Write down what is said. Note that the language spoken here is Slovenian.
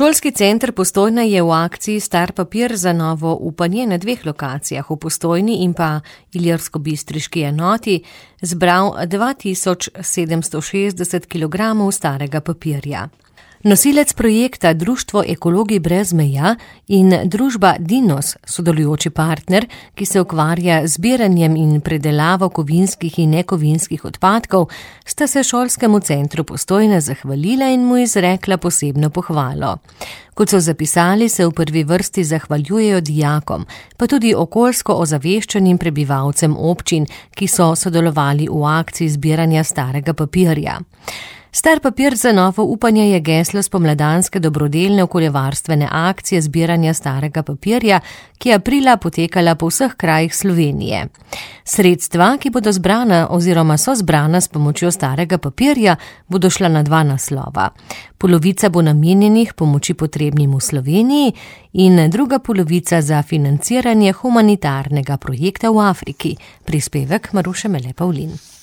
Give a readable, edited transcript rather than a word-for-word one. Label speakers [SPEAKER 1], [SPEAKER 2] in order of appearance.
[SPEAKER 1] Šolski center Postojna je v akciji Star papir za novo upanje na 2 lokacijah, v Postojni in pa ilirskobistriški enoti, zbral 2760 kilogramov starega papirja. Nosilec projekta Društvo Ekologi brez meja in družba Dinos, sodelujoči partner, ki se ukvarja z zbiranjem in predelavo kovinskih in nekovinskih odpadkov, sta se šolskemu centru Postojna zahvalila in mu izrekla posebno pohvalo. Kot so zapisali, se v prvi vrsti zahvaljujejo dijakom, pa tudi okoljsko ozaveščenim prebivalcem občin, ki so sodelovali v akciji zbiranja starega papirja. Star papir za novo upanje je geslo spomladanske dobrodelne okoljevarstvene akcije zbiranja starega papirja, ki je aprila potekala po vseh krajih Slovenije. Sredstva, ki bodo zbrana oziroma so zbrana s pomočjo starega papirja, bodo šla na 2 naslova. Polovica bo namenjenih pomoči potrebnim v Sloveniji in druga polovica za financiranje humanitarnega projekta v Afriki. Prispevek Maruše Mele Pavlin.